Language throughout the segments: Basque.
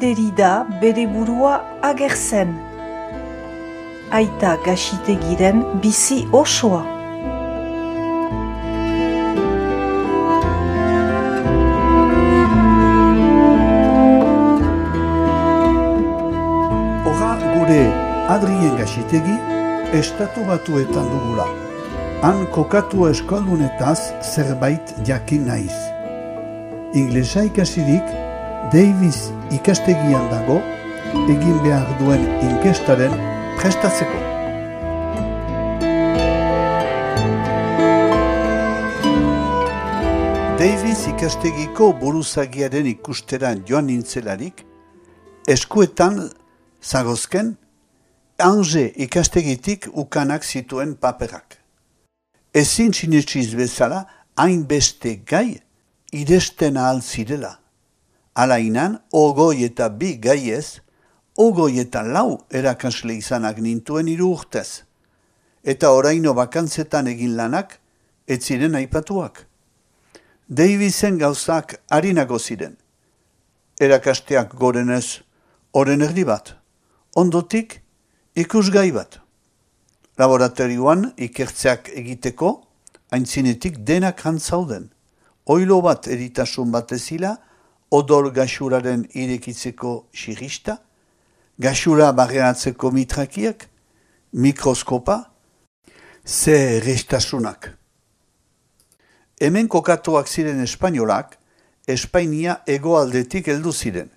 Derrida bere burua agertzen. Aita Gaxitegiren bizi osoa. Adrien Gaxitegi Estatu Batuetan dugula. Han kokatu eskaldunetaz zerbait jakin naiz. Inglesa ikasirik Davis ikastegian dago egin behar duen inkestaren prestatzeko. Davis ikastegiko buruzagiaren ikusteran joan nintzelarik, eskuetan zagozken Angers ikastegitik ukanak zituen paperak. Ezin sinetsiz bezala, hainbeste gai iresten ahal zirela. Alainan, 22 gaiez, 24 erakasle izanak nintuen 3 urtez. Eta oraino bakantzetan egin lanak, ez ziren aipatuak. Davisen gauzak harinago ziren. Erakasteak gorenez, oren erdi bat. Ondotik, ikusgai bat. Laboratorioan ikertzeak egiteko, aintzinetik denak jantzauden. Oilo bat eritasun batezila, odol gaxuraren irekitzeko xirista, gaxura barreatzeko mitrakiak, mikroskopa, ze errestasunak. Hemen kokatuak ziren espainolak, Espainia hegoaldetik heldu ziren.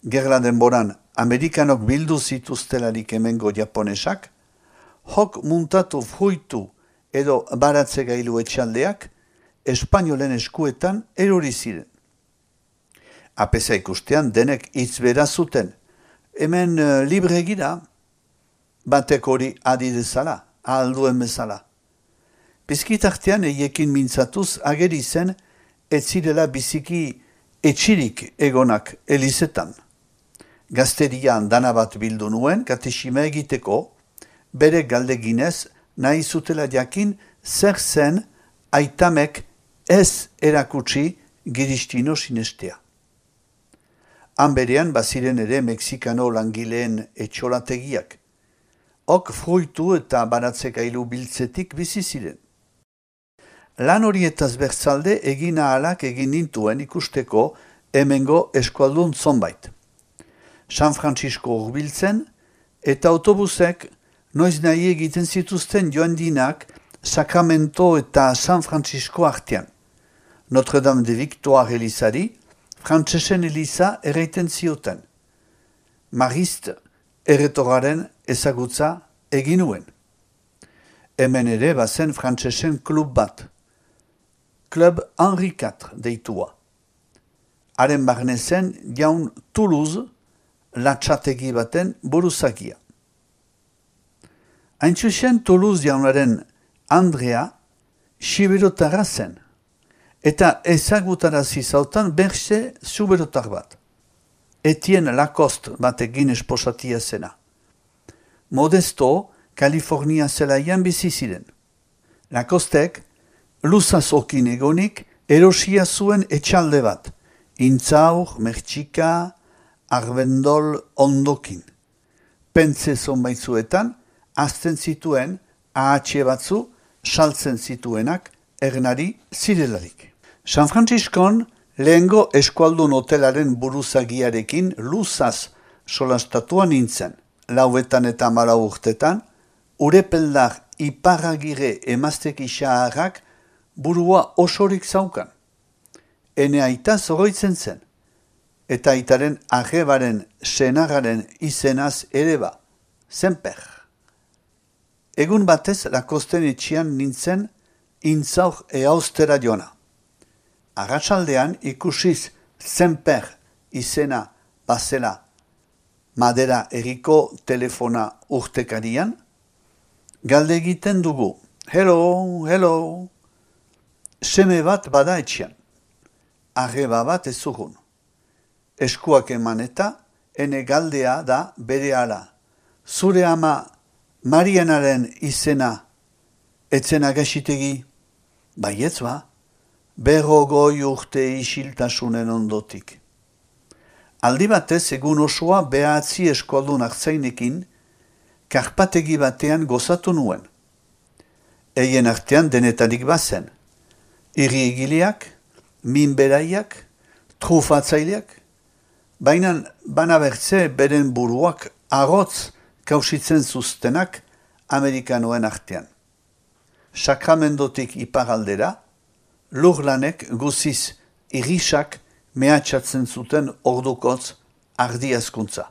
Gerla denboran, Amerikanok bildu zituztelarik hemengo japonesak, jok muntatu fruitu edo baratze gailu etxaldeak espainolen eskuetan erori ziren. Apeza ikustean denek hitz bera zuten. Hemen libre gira, batek hori adi dezala, ahalduen bezala. Bizkitartean eiekin mintzatuz ageri zen ez zirela biziki etxirik egonak elizetan. Gazterian dana bat bildu nuen katexima egiteko, bere galdeginez nahi zutela jakin zer zen aitamek ez erakutsi giristino sinestea. Han berean baziren ere Mexikano langileen etxolategiak. Ok fruitu eta baratzekailu biltzetik bizi ziren. Lan horietaz bertzalde egin ahalak egin nintuen ikusteko hemengo eskualdun zonbait. San Francisco hurbiltzen eta autobusek noiz nahi egiten zituzten joan dinak Sacramento eta San Francisco artean. Notre Dame de Victoire elizari, frantsesen eliza erraiten zioten. Marist erretoraren ezagutza egin nuen. Hemen ere bazen frantsesen klub bat. Club Henri IV deitua. Haren barnezen jaun Toulouse, latxategi baten buruzagia. Haintzuzen Toulouse jaunaren Andrea siberotarra zen, eta ezagutarazi zautan berxe zuberotar bat. Etienne Lacoste batekin esposatia zena. Modesto, Kalifornia zelaian bizi ziren. Lacostek, luzazokin egonik, erosia zuen etxalde bat, Intzaur, Mertxika, Arbendol ondokin. Pentze zonbaitzuetan, azten zituen, ahatxe batzu, saltzen zituenak, ernari zirelarik. San Franciscon, lehengo eskualdun hotelaren buruzagiarekin luzaz solastatua nintzen. Lauetan eta 14 urtetan, urepeldar iparragire emazteki xaharrak burua osorik zaukan. Ene aita zoroitzen zen, eta aitaren arrebaren senarraren izenaz ere ba, Semper. Egun batez Lacosten etxian nintzen Intzaur eaustera joana. Arratsaldean ikusiz Semper izena bazela madera eriko telefona urtekarian, galde egiten dugu. Hello, hello. Seme bat bada etxian. Arreba bat ez zugun. Eskuak eman eta, ene galdea da bere ala. Zure ama Marianaren izena etzena Gaxitegi? Baietz ba, 50 urte isiltasunen ondotik. Aldi batez egun osoa behatzi eskoldun hartzainekin karpategi batean gozatu nuen. Eien artean denetarik bazen. Irri egileak, minberaiak, trufatzaileak, baina banabertze beren buruak arotz kausitzen zuztenak Amerikanoen artean. Sakramendotik iparaldera, lurlanek guziz irisak mehatxatzen zuten ordukotz ardiazkuntza.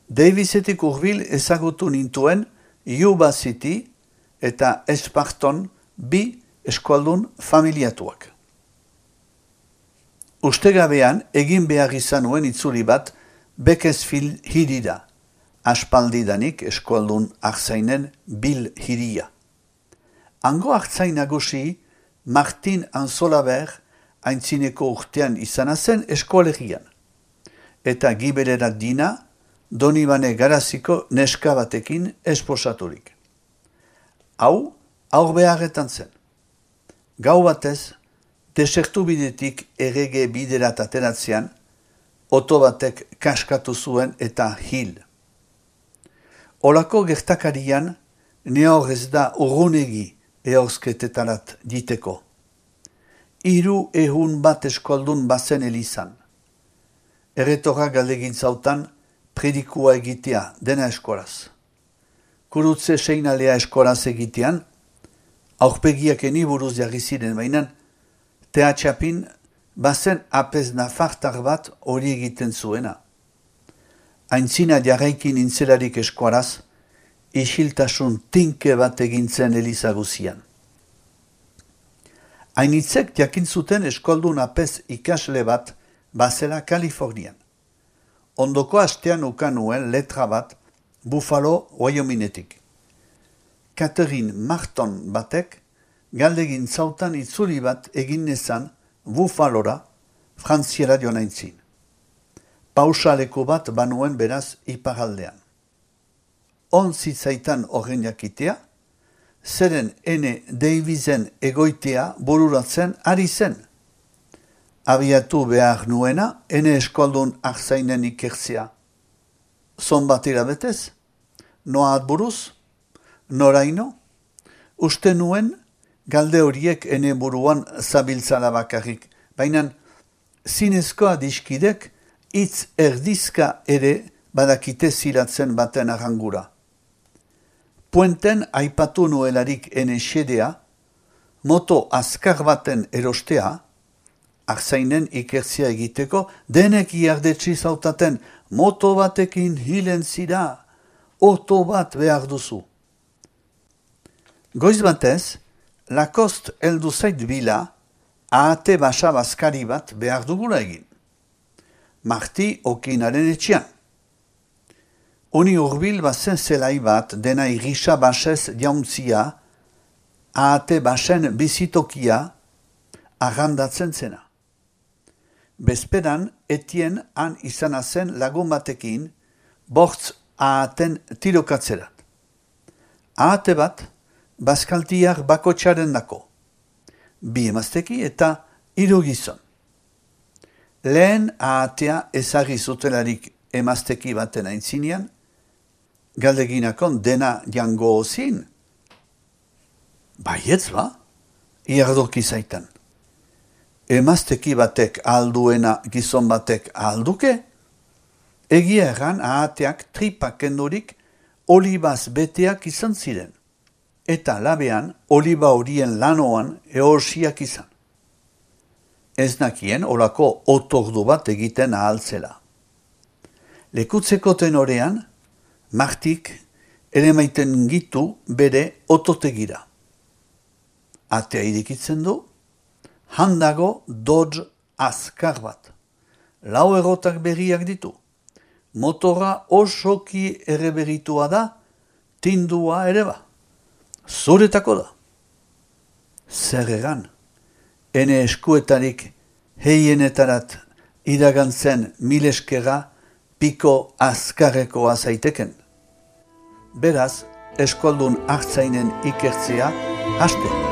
Davisetik hurbil ezagutu nintuen Yuba City eta Esparton bi eskualdun familiatuak. Ustegabean egin behar izan nuen itzuli bat Bakersfield hirira, aspaldidanik eskualdun hartzainen Bill hiria. Hango hartzain nagusi Martin Anzolaber aintzineko urtean izana zen eskolegian, eta gibererak dina Donibane Garaziko neska batekin esposaturik. Hau, aur beharretan zen. Gau batez, desertu bidetik errege biderat ateratzean, oto batek kaskatu zuen eta hil. Olako gertakarian, nehor ez da urrunegi ehorzketetarat diteko. 300 bat eskoldun bazen elizan. Erretorra galdegin zautan, predikua egitea dena eskoraz. Kurutze seinalea eskoraz egitean, aurpegiak eni buruz jarri ziren bainan, teatxapin bazen apez nafartar bat hori egiten zuena. Aintzina jarraikin intzelarik eskoraz, isiltasun tinke bat egintzen elizaguzian. Hainitzek jakin zuten eskoldun apez ikasle bat bazela Kalifornian. Ondoko astean ukan nuen letra bat Buffalo, Wyomingetik. Catherine Marton batek galdegin zautan itzuli bat egin nezan Buffalora frantziera joan aintzin. Pausaleko bat banuen beraz iparaldean. Zitzaitan horren jakitea, zeren ene Davisen egoitea bururatzen ari zen. Abiatu behar nuena, ene eskoldun hartzainen ikertzea. Zon bat irabetez? Noa buruz? Noraino? Uste nuen, galde horiek ene buruan zabiltzala bakarrik, baina zinezkoa diskidek hitz erdizka ere badakite zilatzen baten arrangura. Puenten aipatu nuelarik ene xedea, moto azkar baten erostea, hartzainen ikertzia egiteko, denek iardetsi zautaten, moto batekin hilen zira, oto bat behar duzu. Goiz batez, Lacoste heldu zait bila, ahate basa bazkari bat behar dugula egin. Marti okinaren etxean. Uni hurbil bazen zelai bat dena irisa basez jauntzia, ahate basen bizitokia arrandatzen zena. Bezperan etien han izana zen lagun batekin bortz ahaten tirokatzerat. Ahate bat bazkaltiak bakotxaren dako. 2 emazteki eta 3 gizon. Lehen ahatea ezagri zutelarik emazteki baten aintzinean, galdeginakon dena jango ozin. Baietz ba, iardoki zaitan. Emazteki batek alduena gizon batek alduke, egia erran ahateak tripak kendurik olibaz beteak izan ziren, eta labean oliba horien lanoan ehorsiak izan. Ez nakien olako otordu bat egiten ahaltzela. Lekutzeko tenorean, Martik ere maiten gitu bere ototegira. Atea irikitzen du, handago Dodge azkar bat. 4 errotak berriak ditu. Motora osoki erreberitua da, tindua ere ba. Zuretako da. Zer egan, ene eskuetarik heienetarat iragantzen mileskera piko azkarrekoa zaiteken. Beraz, eskoldun hartzainen ikertzea haste.